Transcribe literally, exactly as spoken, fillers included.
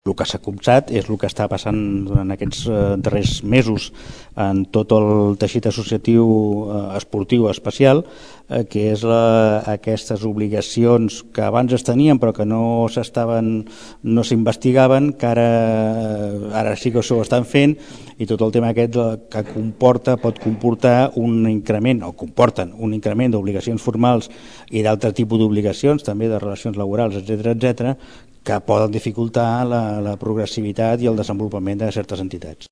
El que s'ha copsat és el que està passant durant aquests darrers mesos en tot el teixit associatiu esportiu especial, que és la, aquestes obligacions que abans es tenien però que no s'estaven, no s'investigaven, que ara, ara sí que s'ho estan fent, i tot el tema aquest que comporta, pot comportar un increment, o comporten un increment d'obligacions formals i d'altre tipus d'obligacions, també de relacions laborals, etcètera, etcètera, que poden dificultar la, la progressivitat i el desenvolupament de certes entitats.